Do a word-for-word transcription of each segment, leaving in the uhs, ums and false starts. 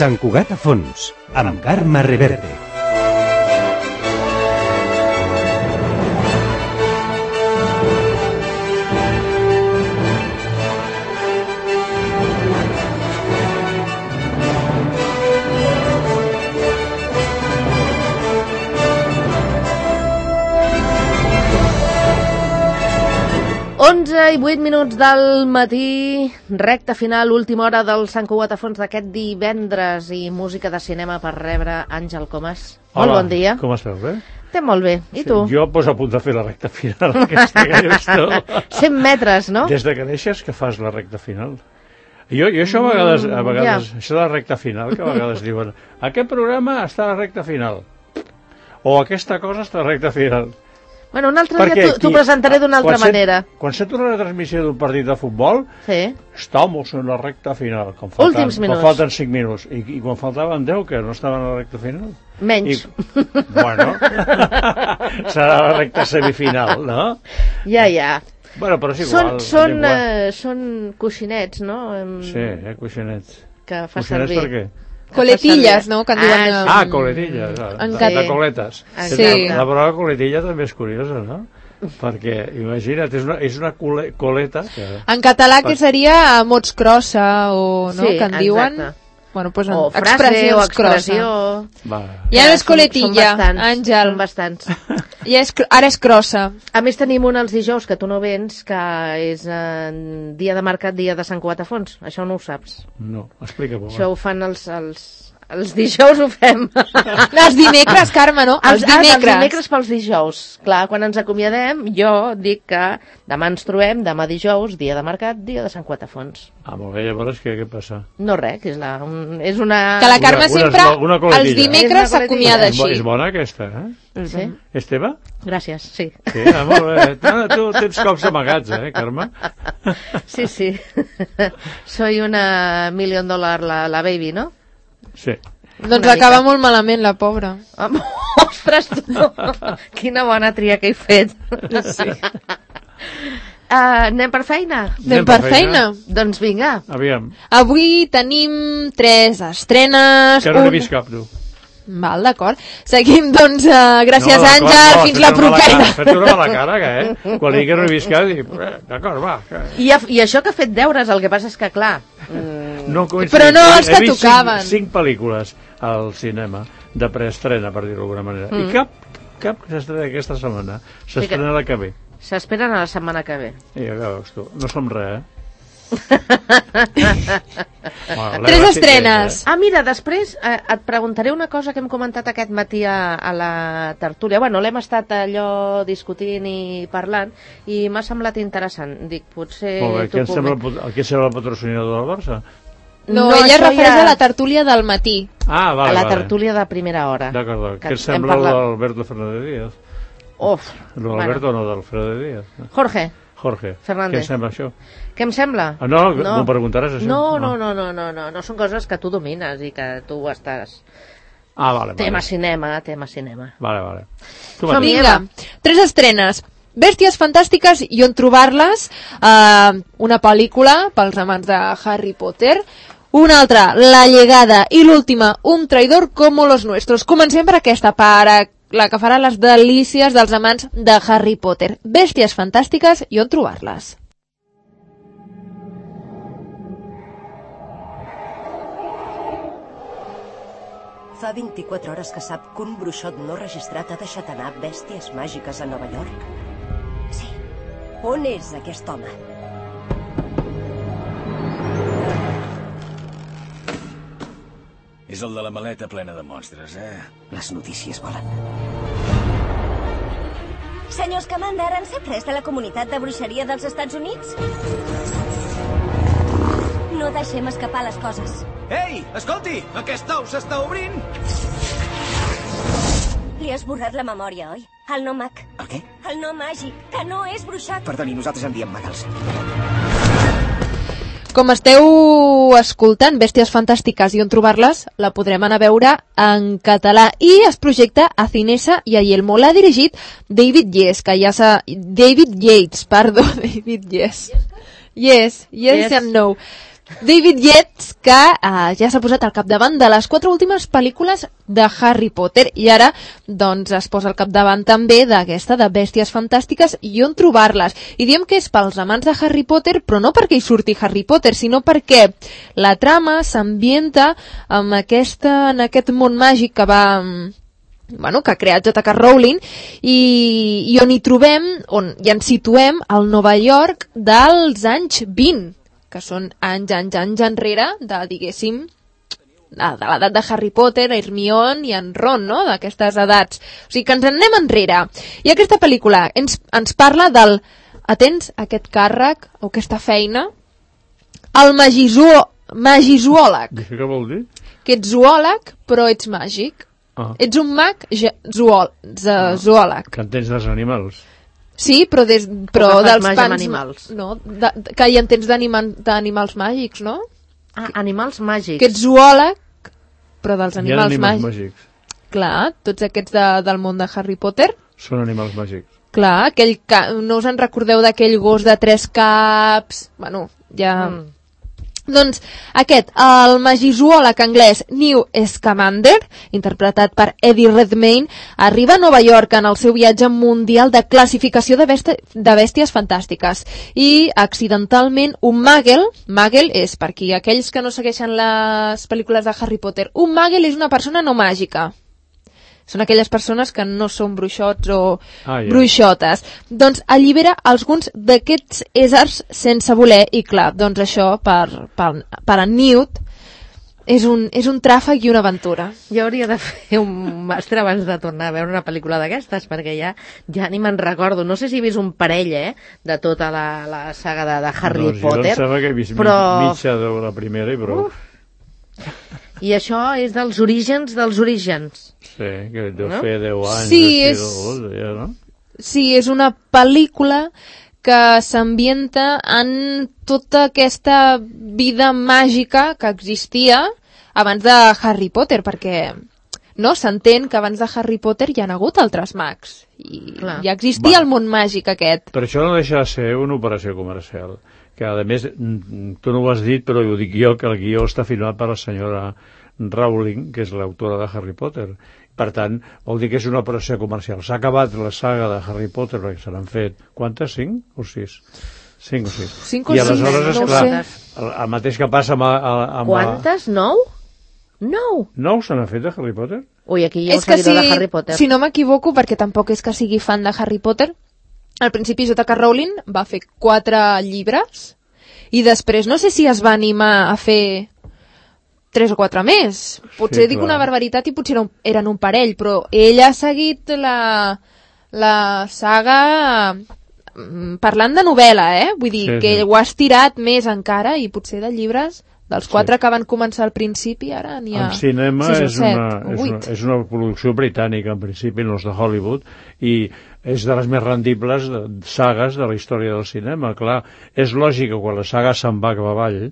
Sant Cugat a fons, amb Carme Reverte. onze i vuit minuts del matí, recta final, última hora del Sant Cugat a fons d'aquest divendres i música de cinema per rebre Àngel Comas. Hola, molt bon dia. Com esteu, bé? Estem molt bé, i Sí, tu? jo pues, a punt de fer la recta final aquesta que dius tu. cent metres, no? Des de que neixes que fas la recta final. Jo, jo això a vegades, a vegades ja. això de la recta final, que a vegades diuen aquest programa està a la recta final o aquesta cosa està a la recta final. Bueno, un altre Perquè dia t'ho presentaré d'una altra quan manera. Set, quan sento la transmissió d'un partit de futbol, Sí. estamos en la recta final. Quan falten, Últims minuts. Quan falten cinc minuts. I, I quan faltaven deu, que no estaven a la recta final? Menys. I, bueno, serà la recta semifinal, no? Ja, ja. Bueno, però és Són, igual. són, igual. eh, són coixinets, no? Em- Sí, eh, coixinets. Que fa Coixinets servir. per què? Coletilles, no? Que en diuen... Ah, eh, Ah, coletilles, de, En de, cat- de coletes. Sí. La paraula coletilla també és curiosa, no? Perquè, imagina't, és una, és una cole, coleta que... En català que seria a mots crossa o no, Sí, que en diuen... exacte. Bueno, pues en O frase, expressions o expressió. crossa. Va. Ja no és Són- coletilla, són bastants, Àngel. Són bastants. Ja és, cr- ara és crossa. A més tenim un els dijous que tu no vens, que és eh, dia de mercat, dia de Sant Cugat a fons. Això no ho saps. No, explica-m'ho. Això ho fan els... els... Els dijous ho fem. Els dimecres, Carme, no? Els Ah, dimecres. els dimecres pels dijous. Clar, quan ens acomiadem, jo dic que demà ens trobem, demà dijous, dia de mercat, dia de Sant Cugat a fons. Ah, molt bé, llavors què, què passa? No res, que és, la, un, és una... Que la Carme Una- una- sempre, una coletilla. els dimecres És una s'acomiada És, bo, així. és bona aquesta, eh? Sí? És teva? Gràcies, sí. Sí, ah, molt bé. Ah, tu tens cops amagats, eh, Carme? Sí, sí. Soy una million dollar la, la baby, no? Sí. Doncs Una acaba mica. molt malament, la pobra. Ostres, tu! Quina bona tria que he fet. Sí. Uh, anem per feina? Anem per feina. Doncs vinga. Aviam, Avui tenim tres estrenes. que no n'he un- vist cap, tu. Val, d'acord. Seguim, doncs, uh, gràcies, No, d'acord, Àngel, no, fins fes la una mala propera. cara, Fes una mala cara, que, eh? Quan digui que no he vist cap, dic, eh, d'acord, va. Que... I, I això que ha fet deures, el que passa és que, clar... Mm, No coincidit. Però no He- els he que vist tocaven. Cinc, cinc pel·lícules al cinema de preestrena, per dir-ho d'alguna manera. Mm. I cap, cap que s'estrena aquesta setmana. S'estrena la que ve. s'esperen a la setmana que ve. I ja veus tu, no som res, eh? Bueno, Tres l'Eva sí que estrenes. és, Ah, mira, després eh, et preguntaré una cosa que hem comentat aquest matí a, a la tertúlia. Bueno, l'hem estat allò discutint i parlant i m'ha semblat interessant. Dic, potser... eh? Molt bé, tu qui sembla, puc- el que sembla el patrocinador del Barça? No, No, ella es això refereix ja- a la tertúlia del matí. Ah, vale, a la vale. tertúlia de primera hora. D'acord, Que què hem sembla parlat- l'Alberto Fernández Díaz? Uf, No, l'Alberto no, d'Alfredo Díaz. Jorge, Jorge, Fernández. què sembla això? què em sembla? Ah, no, m'ho preguntaràs, això? No, no, No. no, no, no, no, no són coses que tu domines i que tu estàs... Ah, vale, vale. Tema cinema, tema cinema. Vale, vale. Tu Som-hi. mateix. Vinga, tres estrenes. Bèsties fantàstiques i on trobar-les. Uh, una pel·lícula pels amants de Harry Potter. Una altra, La llegada. I l'última, Un traidor como los nuestros. Comencem per aquesta, per la que farà les delícies dels amants de Harry Potter. Bèsties fantàstiques i on trobar-les. Fa vint-i-quatre hores que sap que un bruixot no registrat ha deixat anar bèsties màgiques a Nova York? Sí. On és aquest home? És el de la maleta plena de monstres, eh? Les notícies volen. Senyor Scamander, en sap res de la comunitat de bruixeria dels Estats Units? No deixem escapar les coses. Ei, escolti! Aquest ou s'està obrint! Li has borrat la memòria, oi? El no mag. El què? El no màgic, que no és bruixot. Perdoni, nosaltres en diem magals. Com esteu escoltant, Bèsties fantàstiques i on trobar-les, la podrem anar a veure en català. I es projecta a Cinesa i a Yelmo. L'ha dirigit David Yes, que ja s'ha... David Yates, perdó, David Yes. Yes, yes, Yes. and no. David Yates, que uh, ja s'ha posat al capdavant de les quatre últimes pel·lícules de Harry Potter i ara doncs, es posa al capdavant també d'aquesta de Bèsties Fantàstiques i on trobar-les. I diem que és pels amants de Harry Potter, però no perquè hi surti Harry Potter, sinó perquè la trama s'ambienta amb aquesta, en aquest món màgic que va... bueno, que ha creat J K Rowling i, i on hi trobem, on i ens situem al Nova York dels anys vint, que són anys, anys, anys enrere de, diguéssim, de l'edat de Harry Potter, Hermione i en Ron, no?, d'aquestes edats. O sigui que ens en anem enrere. I aquesta pel·lícula ens, ens parla del, atents, aquest càrrec o aquesta feina, el magizuò, magizoòleg. Què vol dir? Que ets zoòleg, però ets màgic. Ah. Ets un mag zoòleg. Ah, que entens dels animals. Sí, però, des, però o dels pans... animals. No, de, de, que hi entens d'animals màgics, no? Ah, animals màgics. Que ets zoòleg, però dels animals, animals màgics. màgics. Clar, tots aquests de, del món de Harry Potter. Són animals màgics. Clar, aquell ca... no us en recordeu d'aquell gos de tres caps? Bueno, ja... Mm. Doncs aquest, el magizoòleg anglès Newt Scamander, interpretat per Eddie Redmayne, arriba a Nova York en el seu viatge mundial de classificació de, bèsties, de bèsties fantàstiques i accidentalment un Muggle, Muggle és per qui aquells que no segueixen les pel·lícules de Harry Potter, un Muggle és una persona no màgica. Són aquelles persones que no són bruixots o ah, yeah. bruixotes. Doncs allibera alguns d'aquests éssers sense voler i clar, doncs això per, per, per a Newt és un, és un tràfic i una aventura. Jo hauria de fer un màster abans de tornar a veure una pel·lícula d'aquestes perquè ja, ja ni me'n recordo. No sé si he vist un parell eh, de tota la, la saga de, de Harry doncs Potter. Jo em sembla que he vist però... mitja de la primera i prou. Uh. I això és dels orígens dels orígens. Sí, que deu no? fer deu anys. Sí, és... Dos, ja, no? sí, és una pel·lícula que s'ambienta en tota aquesta vida màgica que existia abans de Harry Potter, perquè no s'entén que abans de Harry Potter hi ha hagut altres mags. I Clar. ja existia Va. el món màgic aquest. Per això no deixa de ser una operació comercial. Que a més, tu no ho has dit, però ho dic jo, que el guió està firmat per la senyora Rowling, que és l'autora de Harry Potter. Per tant, vol dir que és una operació comercial. S'ha acabat la saga de Harry Potter, perquè se n'han fet, quantes? Cinc o sis? Cinc o sis. Cinc o I aleshores, sis, no esclar, sé. el, el mateix que passa amb... amb Quantes? Nou? Nou? Nou se n'ha fet de Harry Potter? Ui, aquí hi ha un si, seguidor de Harry Potter. Si no m'equivoco, perquè tampoc és que sigui fan de Harry Potter, al principi J K Rowling va fer quatre llibres i després no sé si es va animar a fer tres o quatre més. Potser sí, dic clar. una barbaritat i potser eren un, eren un parell, però ell ha seguit la, la saga parlant de novel·la, eh? Vull dir sí, que sí. ho ha estirat més encara i potser de llibres dels quatre sí. que van començar al principi, ara n'hi ha el cinema sis o és, set, una, és, vuit. una, és una producció britànica, en principi, no és de Hollywood, i és de les més rendibles de, sagues de la història del cinema. Clar, és lògic que quan la saga se'n va cap avall,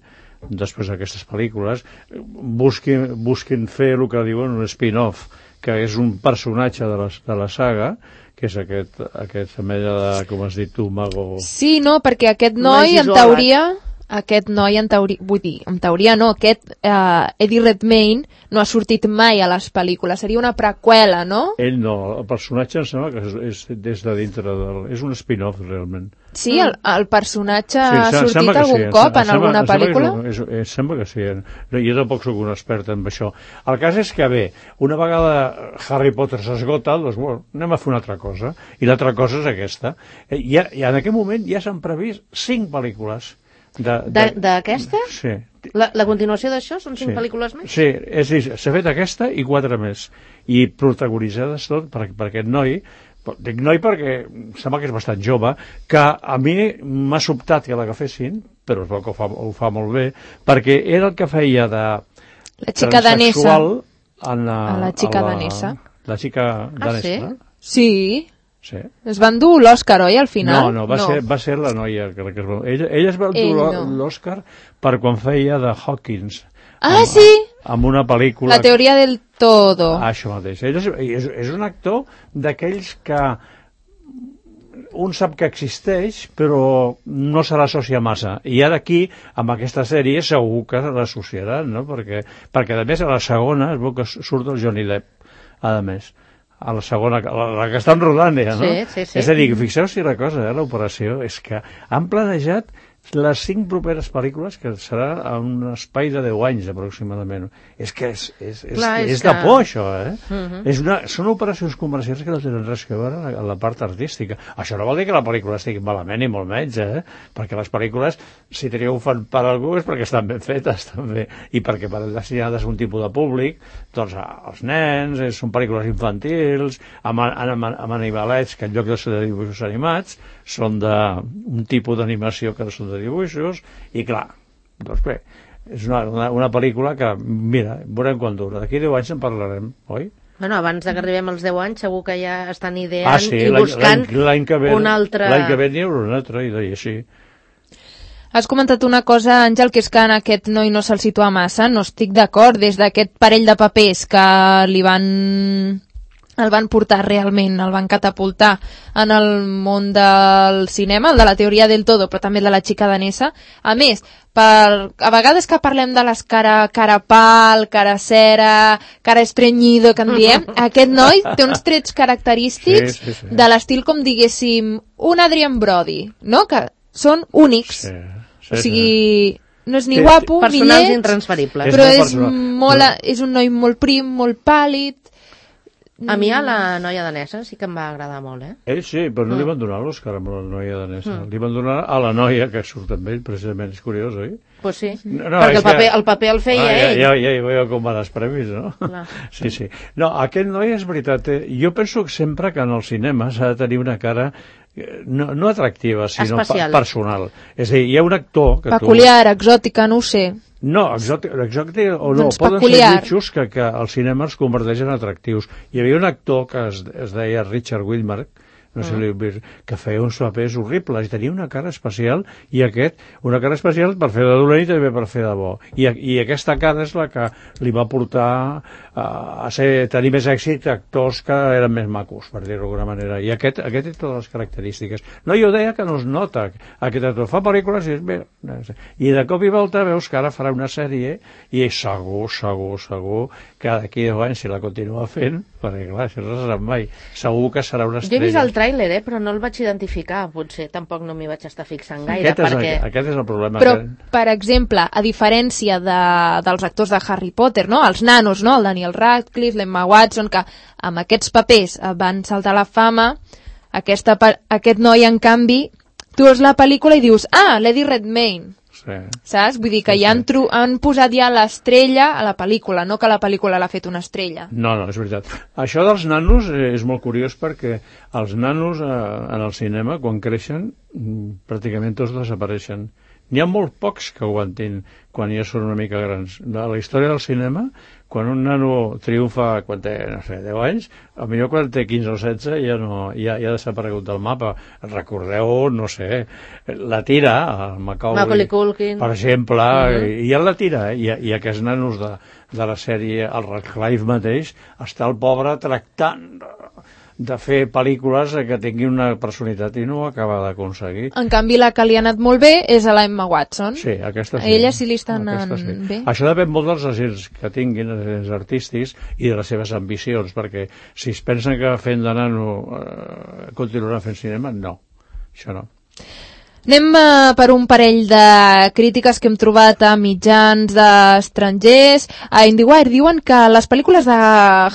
després d'aquestes pel·lícules, busquin, busquin fer el que diuen un spin-off, que és un personatge de la, de la saga, que és aquest, aquest femella de, com has dit tu, mago... Sí, no, perquè aquest noi, en teoria... Aquest noi, en teoria, vull dir, en teoria no, aquest uh, Eddie Redmayne no ha sortit mai a les pel·lícules, seria una preqüela, no? Ell no, el personatge em sembla que és, és des de dintre del... és un spin-off, realment. Sí, el, el personatge sí, ha sortit algun sí, cop en sembla, alguna pel·lícula? És, és, és, sembla que sí, no, jo tampoc sóc un expert en això. El cas és que, bé, una vegada Harry Potter s'esgota, doncs, bueno, anem a fer una altra cosa, i l'altra cosa és aquesta. I, i en aquest moment ja s'han previst cinc pel·lícules. D'aquesta? Sí. La, la continuació d'això són cinc sí. pel·lícules més? Sí, és dir, s'ha fet aquesta i quatre més. I protagonitzades tot per, per aquest noi, dic noi perquè sembla que és bastant jove, que a mi m'ha sobtat que l'agafessin, però es veu que ho fa, ho fa molt bé, perquè era el que feia de la xica danesa. En la, a la xica a la, danesa. La xica danesa. Ah, sí? Sí. Sí. Es van dur l'Òscar, oi, al final? No, no, va, no. Ser, va ser la noia que, que es va... Ella, ella es va dur no. l'Òscar per quan feia de Hawkins. Ah, amb, sí? Amb una pel·lícula... La teoria del todo. Ah, això mateix. Ell és, és, és un actor d'aquells que un sap que existeix, però no se l'associa massa. I ara aquí, amb aquesta sèrie, segur que l'associaran, no? Perquè, perquè, a més, a la segona es veu que surt el Johnny Depp, a més. A la segona, la, la que estan rodant ja, no? Sí, sí, sí. És a dir, fixeu-s'hi una cosa, eh, l'operació, és que han planejat les cinc properes pel·lícules, que serà a un espai de deu anys aproximadament. És que és, és, és, Clar, és és de que... por, això, eh? Uh-huh. És una, són operacions comercials que no tenen res a veure amb la, la part artística. Això no vol dir que la pel·lícula estigui malament, ni molt menys, eh? Perquè les pel·lícules, si triomfen per algú, és perquè estan ben fetes, també. I perquè per destinades a un tipus de públic, doncs els nens, eh, són pel·lícules infantils, amb, amb, amb animalets que en lloc de ser de dibuixos animats, són d'un tipus d'animació que no són de dibuixos, i clar, doncs bé, és una, una, una pel·lícula que, mira, veurem quan dura. D'aquí deu anys en parlarem, oi? Bueno, abans de que arribem als deu anys segur que ja estan ideant ah, sí, i buscant l'any que ve, un altre... L'any que ve n'hi haurà un altre, i deia així. Has comentat una cosa, Àngel, que és que en aquest noi no se'l situa massa. No estic d'acord. Des d'aquest parell de papers que li van... el van portar realment, el van catapultar en el món del cinema, el de la teoria del todo, però també el de la xica danesa. A més, per, a vegades que parlem de les cara, cara pal, cara cera, cara estrenyido, que en diem, aquest noi té uns trets característics sí, sí, sí. de l'estil, com diguéssim, un Adrian Brody, no? Que són únics. Sí, sí, o sigui... Sí. No és ni Sí, guapo, ni personals lleig, intransferibles. però És és, molt molt, personal. és un noi molt prim, molt pàl·lid. A mi a la noia danesa sí que em va agradar molt, eh? Ell sí, però no li van donar l'Òscar amb la noia danesa. Mm. Li van donar a la noia que surt amb ell, precisament. És curiós, oi? Pues sí, No, no, perquè és el paper, que- el paper el feia ah, ja, ell. ja, ja, ja veieu com van els premis, no? Clar. Sí, sí. No, aquest noi és veritat. Eh? Jo penso que sempre que en el cinema s'ha de tenir una cara eh, no, no atractiva, sinó Especial. pa personal. És a dir, hi ha un actor que Peculiar, exòtica, no ho sé. tu... No, exòtic, exòtic o no, Doncs poden peculiar. ser bitxos que, que el cinema els converteix en atractius. Hi havia un actor que es, es deia Richard Widmark, no sé si l'heu vist, que feia uns papers horribles i tenia una cara especial, i aquest, una cara especial per fer de dolent i també per fer de bo. I, i aquesta cara és la que li va portar a, a ser, tenir més èxit actors que eren més macos, per dir-ho d'alguna manera. I aquest, aquest té totes les característiques. No, jo deia que no es nota. Aquest actor fa pel·lícules i és bé. I de cop i volta veus que ara farà una sèrie i segur, segur, segur que d'aquí deu anys, si la continua fent, perquè clar, això no se sap mai, segur que serà una Jo he vist estrella. el tràiler, eh, però no el vaig identificar. Potser tampoc no m'hi vaig estar fixant gaire. Aquest és, perquè... el, aquest és el problema. Però, que... per exemple, a diferència de, dels actors de Harry Potter, no? Els nanos, no? El Daniel Radcliffe, l'Emma Watson, que amb aquests papers van saltar a la fama, aquesta, aquest noi, en canvi, tu veus la pel·lícula i dius, ah, Lady Redmayne. Sí. Saps? Vull dir que Sí, ja han, sí. tru han posat ja l'estrella a la pel·lícula, no que la pel·lícula l'ha fet una estrella. No, no, és veritat. Això dels nanos eh, és molt curiós perquè els nanos eh, en el cinema, quan creixen, mm, pràcticament tots desapareixen. N'hi ha molt pocs que aguantin quan ja són una mica grans. A la història del cinema, quan un nano triomfa quan té, no sé, deu anys, potser quan té quinze o setze ja, no, ja, ja ha desaparegut del mapa. Recordeu, no sé, la tira, el Macaulay, Macaulay Culkin. per exemple, Mhm. i, i ja la tira, eh? I, i aquests nanos de, de la sèrie, el Radcliffe mateix, està el pobre tractant de fer pel·lícules que tinguin una personalitat i no ho acaba d'aconseguir. En canvi, la que li ha anat molt bé és a la Emma Watson. Sí, aquesta A sí. ella sí li està anant Aquesta sí. bé. Això depèn molt dels agents que tinguin, els agents artístics, i de les seves ambicions, perquè si es pensen que fent de nano eh, continuaran fent cinema, no. Això no. Anem uh, per un parell de crítiques que hem trobat a mitjans d'estrangers. A IndieWire diuen que les pel·lícules de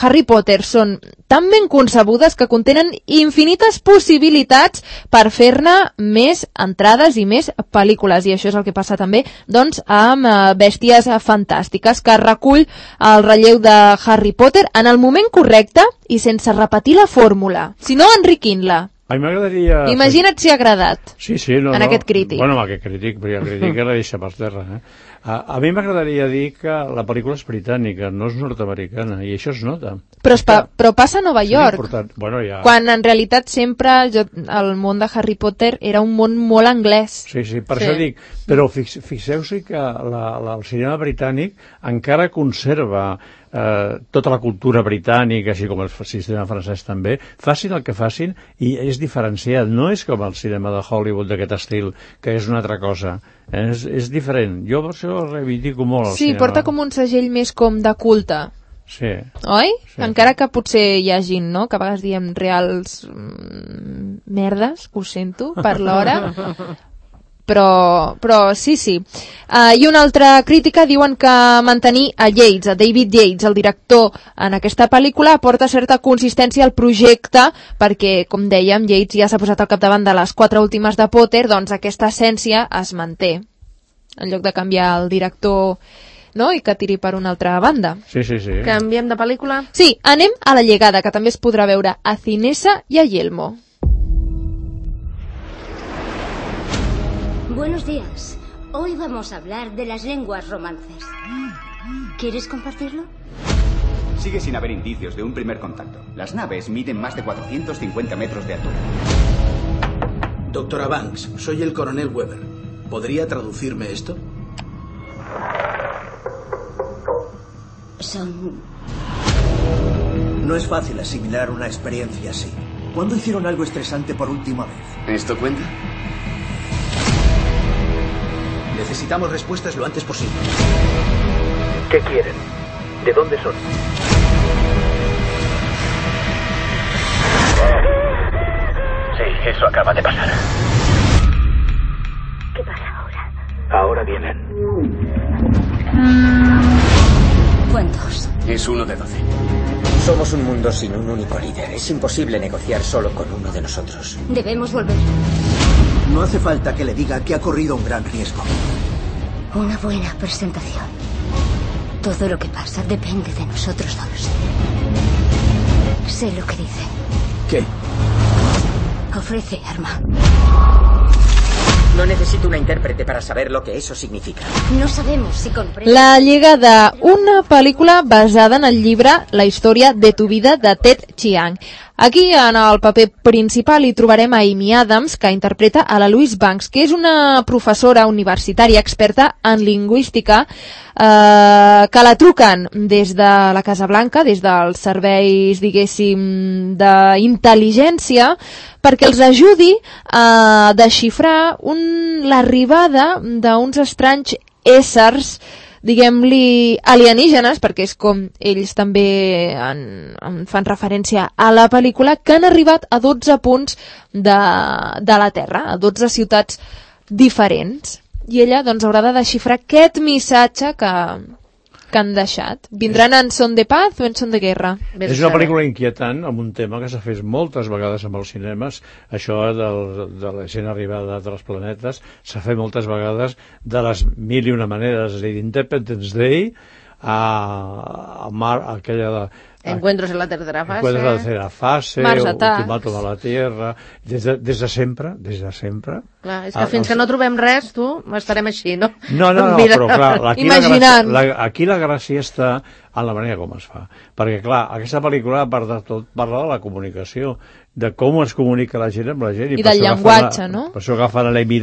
Harry Potter són tan ben concebudes que contenen infinites possibilitats per fer-ne més entrades i més pel·lícules. I això és el que passa també doncs, amb uh, Bèsties Fantàstiques, que recull el relleu de Harry Potter en el moment correcte i sense repetir la fórmula, sinó enriquint-la. A mi m'agradaria... Imagina't si ha agradat. Sí, sí, no, en no. aquest crític. Bueno, amb aquest crític, perquè el crític la deixa per terra. Eh? A, a mi m'agradaria dir que la pel·lícula és britànica, no és nord-americana, i això es nota. Però, es pa però passa a Nova York, bueno, ja... quan en realitat sempre jo, el món de Harry Potter era un món molt anglès. Sí, sí, per sí. això dic, però fix, fixeu-s'hi que la, la, el cinema britànic encara conserva eh, tota la cultura britànica, així com el sistema francès també, facin el que facin i és diferenciat, no és com el cinema de Hollywood d'aquest estil, que és una altra cosa, és, és diferent. Jo per això reivindico molt el sí, cinema. porta com un segell més com de culte. Sí. Oi? Sí. Encara que potser hi ha gent, no?, que a vegades diem reals mm, merdes, ho sento, per l'hora, però, però sí, sí. Uh, I una altra crítica diuen que mantenir a Yates, a David Yates, el director, en aquesta pel·lícula aporta certa consistència al projecte perquè, com dèiem, Yates ja s'ha posat al capdavant de les quatre últimes de Potter, doncs aquesta essència es manté. En lloc de canviar el director... no? I que tiri per una altra banda. Sí, sí, sí. Canviem de pel·lícula? Sí, anem a La llegada, que també es podrà veure a Cinesa i a Yelmo. Buenos días. Hoy vamos a hablar de las lenguas romances. ¿Quieres compartirlo? Sigue sin haber indicios de un primer contacto. Las naves miden más de cuatrocientos cincuenta metros de altura. Doctora Banks, soy el coronel Weber. ¿Podría traducirme esto? Son... No es fácil asimilar una experiencia así. ¿Cuándo hicieron algo estresante por última vez? ¿Esto cuenta? Necesitamos respuestas lo antes posible. ¿Qué quieren? ¿De dónde son? Sí, eso acaba de pasar. ¿Qué pasa ahora? Ahora vienen. ¿Cuántos? Es uno de doce. Somos un mundo sin un único líder. Es imposible negociar solo con uno de nosotros. Debemos volver. No hace falta que le diga que ha corrido un gran riesgo. Una buena presentación. Todo lo que pasa depende de nosotros dos. Sé lo que dice. ¿Qué? Ofrece arma. No necesito una intérprete para saber lo que eso significa. No sabemos si comprende. La llegada, una pel·lícula basada en el llibre La història de tu vida de Ted Chiang. Aquí, en el paper principal, hi trobarem a Amy Adams, que interpreta a la Louise Banks, que és una professora universitària experta en lingüística, eh, que la truquen des de la Casa Blanca, des dels serveis, diguéssim, d'intel·ligència, perquè els ajudi a desxifrar un, l'arribada d'uns estranys éssers, diguem-li alienígenes, perquè és com ells també en, en fan referència a la pel·lícula, que han arribat a dotze punts de, de la Terra, a dotze ciutats diferents. I ella doncs haurà de desxifrar aquest missatge que, que han deixat. Vindran en son de paz o en son de guerra? És una pel·lícula inquietant amb un tema que s'ha fet moltes vegades amb els cinemes, això del, de la gent arribada d'altres planetes, s'ha fet moltes vegades de les mil i una maneres, és a dir, d'Independence Day a, a Mar, aquella de... Encuentros en la tercera fase. Encuentros en la tercera fase, Mars Attacks. Ultimátum a la Tierra, des de, des de sempre, des de sempre. Clar, és que fins que no trobem res, tu, estarem així, no? No, no, no, però clar, aquí la, gràcia, la, aquí la gràcia està en la manera com es fa. Perquè, clar, aquesta pel·lícula, a part de tot, parla de la comunicació, de com es comunica la gent amb la gent. I, I del llenguatge, la, no? Per això agafen l'Amy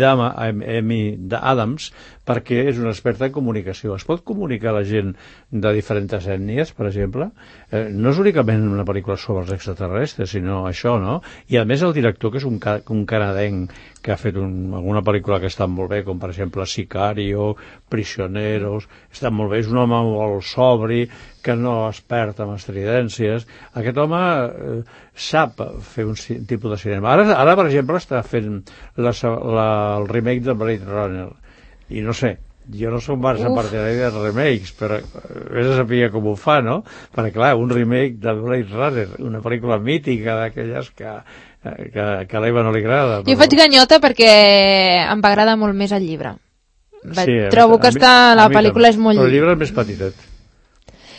Adams, perquè és una experta en comunicació. Es pot comunicar la gent de diferents ètnies, per exemple? Eh, no és únicament una pel·lícula sobre els extraterrestres, sinó això, no? I a més el director, que és un, un canadenc, que ha fet un, alguna pel·lícula que està molt bé, com per exemple Sicario, Prisioneros, està molt bé, és un home molt sobri, que no es perd amb estridències. Aquest home eh, sap fer un tipus de cinema. Ara, ara per exemple, està fent la, la, el remake de Blade Runner, i no sé, jo no soc massa partidari de remakes, però vés a saber com ho fa, no? Perquè, clar, un remake de Blade Runner, una pel·lícula mítica d'aquelles que, que, que a l'Eva no li agrada. Però... Jo faig ganyota perquè em va agradar molt més el llibre. Sí, Trobo mi, que està, la pel·lícula és molt... Però el llibre és més petitet.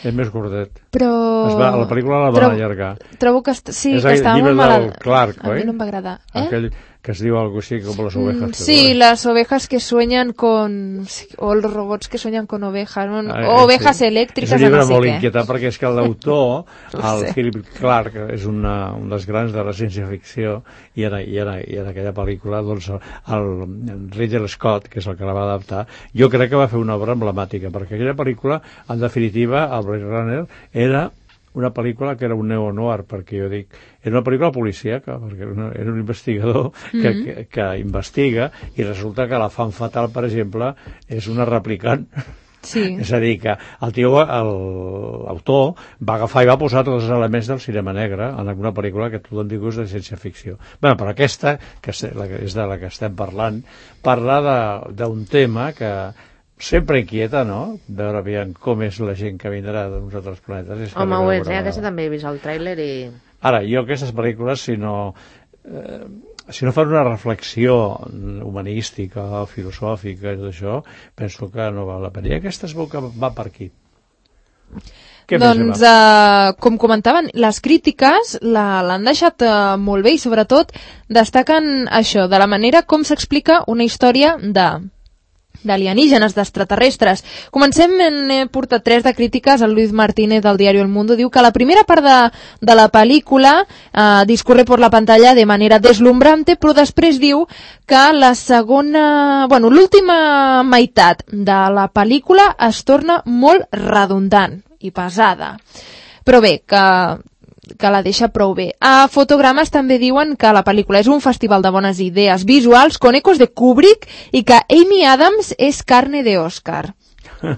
És més gordet. Però... Es va, la pel·lícula la van trobo, allargar. Trobo que, est... sí, és que estava molt mal... malalt. Clark, a oi? mi no em va agradar. Eh? Aquell que es diu algo així com les ovejas. Mm, sí, las ovejas que sueñan con... o los robots que sueñan con ovejas, no? Ah, ovejas sí. elèctriques, és un llibre no sé molt què. inquietant perquè és que l'autor, el Sí. Philip Clark, és una, un dels grans de la ciència-ficció, i en, i, en, i en aquella pel·lícula doncs, el, el Ridley Scott, que és el que la va adaptar, jo crec que va fer una obra emblemàtica, perquè aquella pel·lícula, en definitiva, el Blade Runner, era una pel·lícula que era un neo-noir, perquè jo dic, era una pel·lícula policíaca, perquè era, una, era un investigador que, Mm-hmm. que, que investiga, i resulta que la fan fatal, per exemple, és una replicant. Sí. És a dir, que el tio, l'autor, va agafar i va posar tots els elements del cinema negre en alguna pel·lícula que tothom diu és de ciència-ficció. Bé, però aquesta, que és de la que estem parlant, parla d'un tema que sempre inquieta, no? Veure aviam com és la gent que vindrà d'uns altres planetes. Home, ho és, eh? Aquesta també he vist el tràiler i... Ara, jo aquestes pel·lícules, si no... Eh, si no fan una reflexió humanística, filosòfica i tot això, penso que no val la pena. I aquesta es veu que va per aquí. Què doncs, uh, com comentaven, les crítiques l'han deixat uh, molt bé i sobretot destaquen això, de la manera com s'explica una història de... d'alienígenes, d'extraterrestres. Comencem, he portat tres de crítiques. El Luis Martínez del diario El Mundo diu que la primera part de, de la pel·lícula eh, discorre por la pantalla de manera deslumbrante, però després diu que la segona... bueno, l'última meitat de la pel·lícula es torna molt redundant i pesada. Però bé, que que la deixa prou bé. A Fotogrames també diuen que la pel·lícula és un festival de bones idees visuals con ecos de Kubrick i que Amy Adams és carne de Oscar.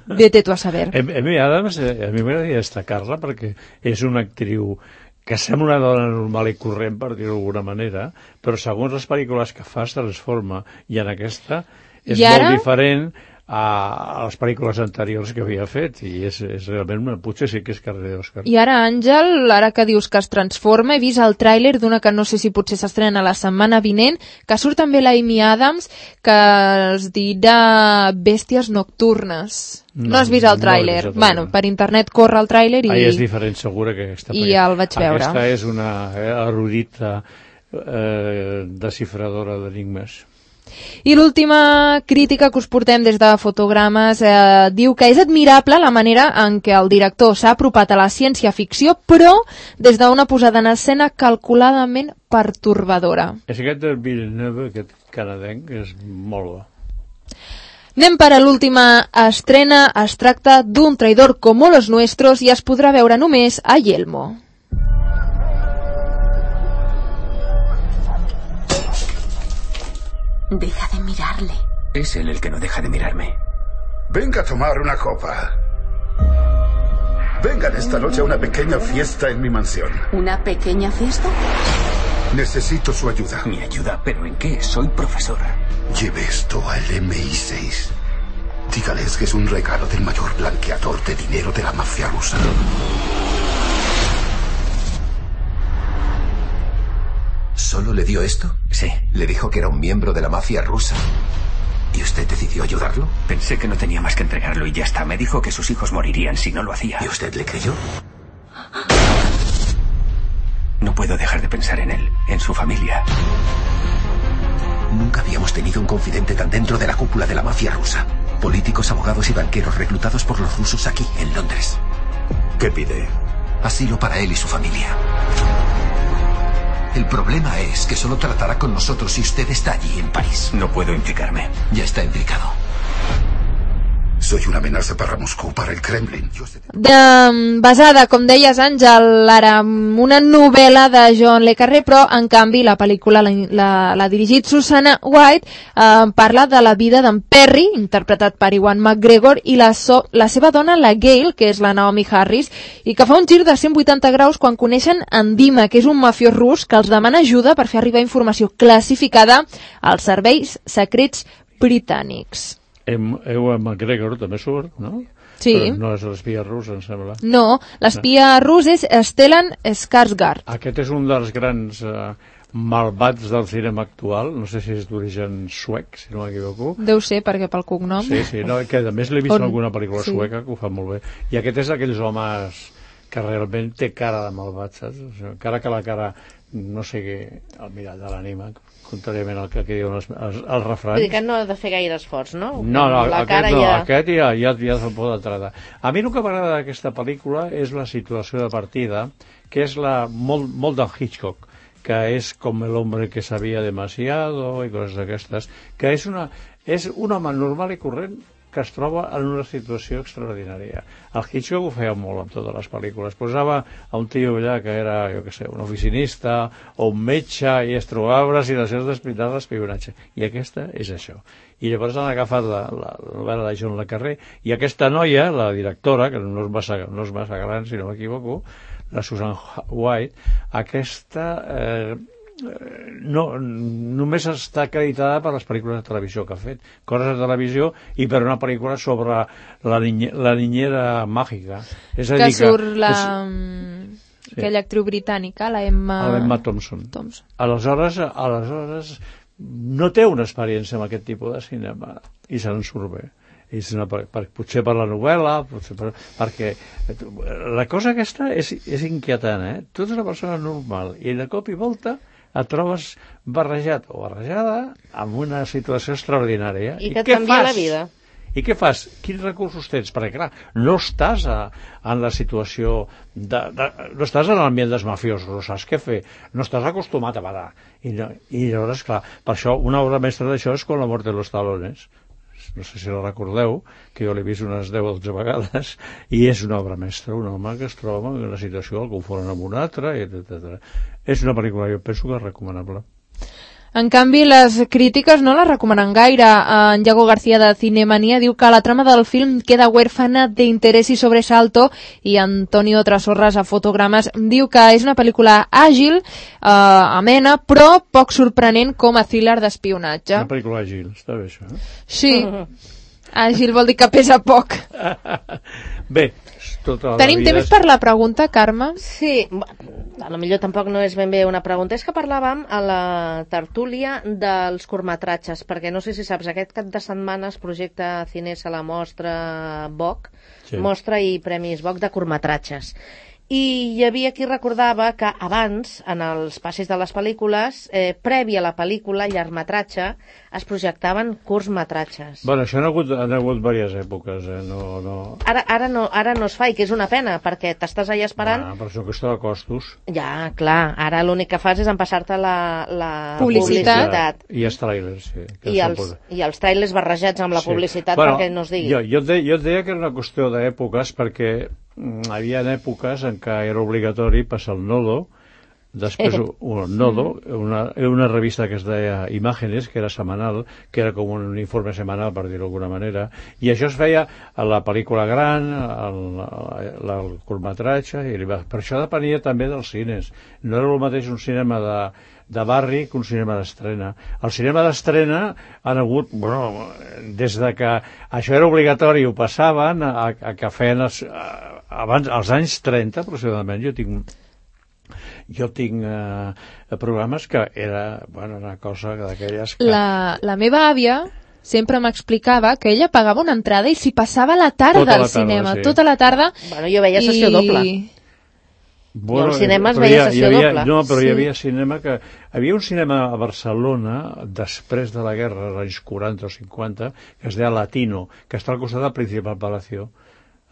Vete tu a saber. Amy Adams, a mi m'agradaria destacar-la perquè és una actriu que sembla una dona normal i corrent, per dir-ho d'alguna manera, però segons les pel·lícules que fa es transforma, i en aquesta és I ara... molt diferent a les pel·lícules anteriors que havia fet, i és, és realment, potser sí que és carrer d'Òscar. I ara, Àngel, ara que dius que es transforma, he vist el tràiler d'una que no sé si potser s'estrena la setmana vinent, que surt també la Amy Adams, que es dirà Bèsties Nocturnes. No, no has vist el tràiler? No bueno, per internet corre el tràiler i... Ah, és diferent, segur que aquesta... I ja el vaig veure. Aquesta és una erudita eh, desxifradora d'enigmes. I l'última crítica que us portem des de Fotogrames eh, diu que és admirable la manera en què el director s'ha apropat a la ciència-ficció, però des d'una posada en escena calculadament pertorbadora. És aquest del Villeneuve, aquest canadenc, és molt bo. Anem per a l'última estrena. Es tracta d'un traïdor como los nuestros i es podrà veure només a Yelmo. Deja de mirarle. Es él el que no deja de mirarme. Venga a tomar una copa. Vengan esta noche a una pequeña fiesta en mi mansión. ¿Una pequeña fiesta? Necesito su ayuda. Mi ayuda, ¿pero en qué? Soy profesor. Lleve esto al M I seis. Dígales que es un regalo del mayor blanqueador de dinero de la mafia rusa. ¿Solo le dio esto? Sí. Le dijo que era un miembro de la mafia rusa. ¿Y usted decidió ayudarlo? Pensé que no tenía más que entregarlo y ya está. Me dijo que sus hijos morirían si no lo hacía. ¿Y usted le creyó? No puedo dejar de pensar en él, en su familia. Nunca habíamos tenido un confidente tan dentro de la cúpula de la mafia rusa. Políticos, abogados y banqueros reclutados por los rusos aquí, en Londres. ¿Qué pide? Asilo para él y su familia. El problema es que solo tratará con nosotros si usted está allí, en París. No puedo implicarme. Ya está implicado. Soy una amenaza para Moscú, para el Kremlin. De, basada, com deies, Àngel, ara una novel·la de John le Carré, però en canvi la pel·lícula l'ha dirigit Susanna White, eh, parla de la vida d'en Perry, interpretat per Ewan McGregor, i la, so, la seva dona, la Gail, que és la Naomi Harris, i que fa un gir de cent vuitanta graus quan coneixen en Dima, que és un mafiós rus que els demana ajuda per fer arribar informació classificada als serveis secrets britànics. Ewan McGregor també surt, no? Sí. Però no és l'espia rus, em sembla. No, l'espia rus és Stellan Skarsgård. Aquest és un dels grans eh, malvats del cinema actual, no sé si és d'origen suec, si no m'equivoco. Deu ser, perquè pel cognom... Sí, sí, no, que a més l'he vist On... en alguna pel·lícula sí. sueca que ho fa molt bé. I aquest és d'aquells homes que realment té cara de malvat, saps? O sigui, encara que la cara no sigui el mirall de l'ànima, contràriament al que, que diuen els, els, els refrans. Vull dir que no ha de fer gaire esforç, no? No, no, la aquest, cara no ja... aquest ja, ja, ja se'l pot tractar. A mi el que m'agrada d'aquesta pel·lícula és la situació de partida, que és la, molt, molt del Hitchcock, que és com el hombre que sabia demasiado i coses d'aquestes, que és, una, és un home normal i corrent que es troba en una situació extraordinària. El Hitchcock ho feia molt amb totes les pel·lícules. Posava a un tio allà que era, jo què sé, un oficinista o un metge i es trobava una situació d'espionatge. I aquesta és això. I llavors han agafat la, la, la novel·la de John le Carré i aquesta noia, la directora, que no és massa, no és massa gran, si no m'equivoco, la Susan White, aquesta... Eh, no, només està acreditada per les pel·lícules de televisió que ha fet, coses de televisió i per una pel·lícula sobre la, niñe, la niñera màgica. És a que dir surt que, la... És, sí. aquella actriu britànica, la Emma... Emma Thompson. Thompson. Aleshores, aleshores no té una experiència amb aquest tipus de cinema i se'n surt bé. És una, per, potser per la novel·la, potser per, perquè la cosa aquesta és, és inquietant, eh? Tu ets una persona normal i de cop i volta et trobes barrejat o barrejada amb una situació extraordinària. I que et canvia la vida. I què fas? Quins recursos tens? Perquè, clar, no estàs a, en la situació... De, de, no estàs en l'ambient dels mafiosos, no saps què fer. No estàs acostumat a badar. I, no, i llavors, clar, per això una obra mestra d'això és Con la muerte de los talones. No sé si la recordeu, que jo l'he vist unes deu o dotze vegades, i és una obra mestra, un home que es troba en una situació, el confonen amb un altre, etcètera. És una pel·lícula, jo penso que és recomanable. En canvi, les crítiques no la recomanen gaire. En Yago García de Cinemania diu que la trama del film queda huérfana de interès i sobresalto, i Antonio Trasorras a Fotogrames diu que és una pel·lícula àgil, eh, amena, però poc sorprenent com a thriller d'espionatge. Una pel·lícula àgil, està bé això, eh? Sí, àgil vol dir que pesa poc. Bé, tota la Tenim vida temps és... per la pregunta, Carme? Sí, a lo millor tampoc no és ben bé una pregunta, és que parlàvem a la tertúlia dels curtmetratges, perquè no sé si saps, aquest cap de setmana es projecta Cines a la mostra V O C, sí. Mostra i Premis V O C de curtmetratges. I hi havia qui recordava que abans, en els passis de les pel·lícules, eh, prèvia a la pel·lícula, llargmetratge, es projectaven curtmetratges. Bueno, això han hagut, han hagut diverses èpoques, eh? No, no... Ara, ara, no, ara no es fa, i que és una pena, perquè t'estàs allà esperant... Ah, per això que està de costos. Ja, clar, ara l'únic que fas és empassar-te la, la publicitat. publicitat. I els trailers, sí. I els, I els trailers barrejats amb la sí. publicitat, bueno, perquè no es digui. Jo, jo, et deia, jo et deia que era una qüestió d'èpoques, perquè hi havia èpoques en què era obligatori passar el nodo, després un nodo, una, una revista que es deia Imágenes, que era setmanal, que era com un informe setmanal, per dir-ho d'alguna manera, i això es feia a la pel·lícula gran, al, al, al curtmetratge, i per això depenia també dels cines. No era el mateix un cinema de, de barri que un cinema d'estrena. El cinema d'estrena han hagut, bueno, des de que això era obligatori, ho passaven a, a que feien els, abans, als anys trenta aproximadament. Jo tinc jo tinc eh, programes que era, bueno, una cosa d'aquelles que... La, la meva àvia sempre m'explicava que ella pagava una entrada i s'hi passava la tarda tota al la tarda, cinema, sí. tota la tarda. Bueno, jo veia sessió i... doble. Bueno, jo al cinema es veia veia sessió havia, doble. No, però Sí. hi havia cinema que... Hi havia un cinema a Barcelona, després de la guerra, als anys quaranta o cinquanta, que es deia Latino, que està al costat del Principal Palacio,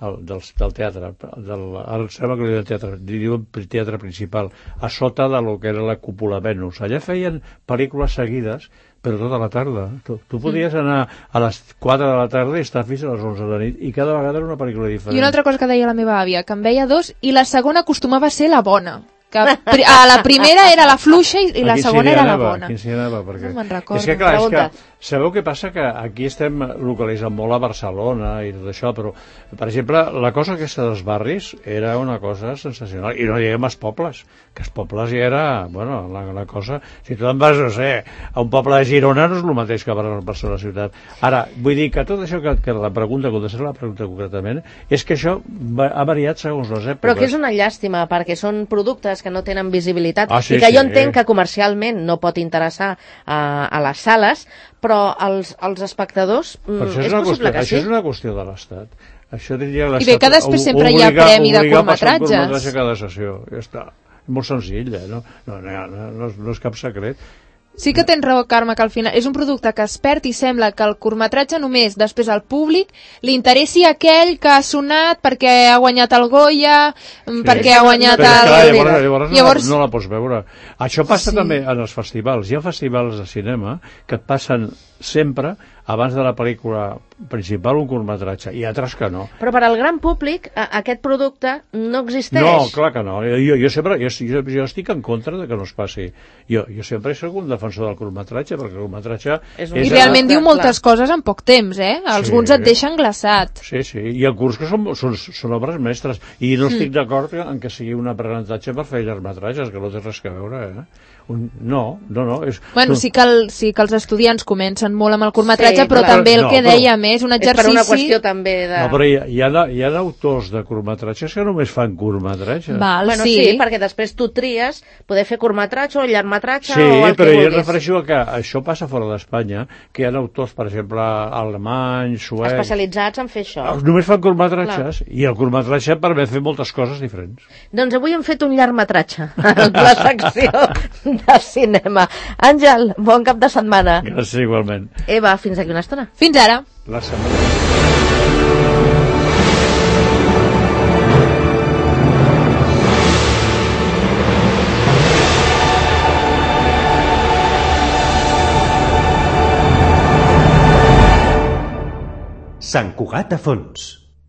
el, del, del teatre, del, el cinema que li diuen teatre, diuen teatre principal, a sota de lo que era la cúpula Venus. Allà feien pel·lícules seguides, però tota la tarda. Tu, tu podies anar a les quatre de la tarda i estar fins a les onze de la nit, i cada vegada era una pel·lícula diferent. I una altra cosa que deia la meva àvia, que en veia dos, i la segona acostumava a ser la bona. Que a la primera era la fluixa i, i la segona era la bona. Quin s'hi anava? Perquè... No me'n recordo. És que, clar, és Pregunta. que sabeu què passa? Que aquí estem localitzant molt a Barcelona i tot això, però, per exemple, la cosa aquesta dels barris era una cosa sensacional. I no diguem els pobles, que els pobles ja era, bueno, la, la cosa... Si tu te'n vas, no sé, a un poble de Girona no és el mateix que a Barcelona ciutat. Ara, vull dir que tot això que, que la pregunta, contestar la pregunta concretament, és que això va, ha variat segons les èpoques. Però que és una llàstima, perquè són productes que no tenen visibilitat, ah, sí, i que sí, jo entenc eh? que comercialment no pot interessar a, a les sales, però als, als espectadors mm, és, és possible qüestió, que això sí. és una qüestió de l'Estat. Això diria I bé que després sempre hi ha premi de curtmetratges. curtmetratge cada sessió, ja està. molt senzill, eh? no, no, no, no, no és cap secret. Sí que tens raó, Carme, que al final és un producte que es perd i sembla que el curtmetratge només després al públic li interessi aquell que ha sonat perquè ha guanyat el Goya, sí. perquè ha guanyat Però, el... Clar, llavors, llavors, llavors... No, no la pots veure. Això passa sí. també en els festivals. Hi ha festivals de cinema que et passen sempre abans de la pel·lícula principal un curtmetratge, i altres que no. Però per al gran públic a, aquest producte no existeix. No, clar que no. Jo, jo, sempre, jo, jo, jo estic en contra de que no es passi. Jo, jo sempre soc un defensor del curtmetratge, perquè el curtmetratge... És un... I realment diu moltes clar. coses en poc temps, eh? Alguns sí. et deixen glaçat. Sí, sí, i el curs que són, són, són obres mestres. I no estic mm. d'acord en que sigui un aprenentatge per fer llargmetratges, que no té res a veure, eh? Un... No, no, no. És... Bueno, sí que, el, sí que els estudiants comencen molt amb el curtmetratge, sí, però clar. també el no, que dèiem és un exercici... És per una qüestió també de... No, però hi ha, hi ha, hi ha autors de curtmetratges que només fan curtmetratges. Val, bueno, sí. sí, perquè després tu tries poder fer curtmetratge o llargmetratge sí, o el que però vulguis. Jo refereixo a que això passa fora d'Espanya, que hi ha autors, per exemple, alemanys, suecs... Especialitzats en fer això. Només fan curtmetratges, i el curtmetratge permet fer moltes coses diferents. Doncs avui hem fet un llargmetratge, la secció de cinema. Àngel, bon cap de setmana. Gràcies, igualment. Eva, fins aquí una estona. Fins ara. La setmana. Sant Cugat a fons.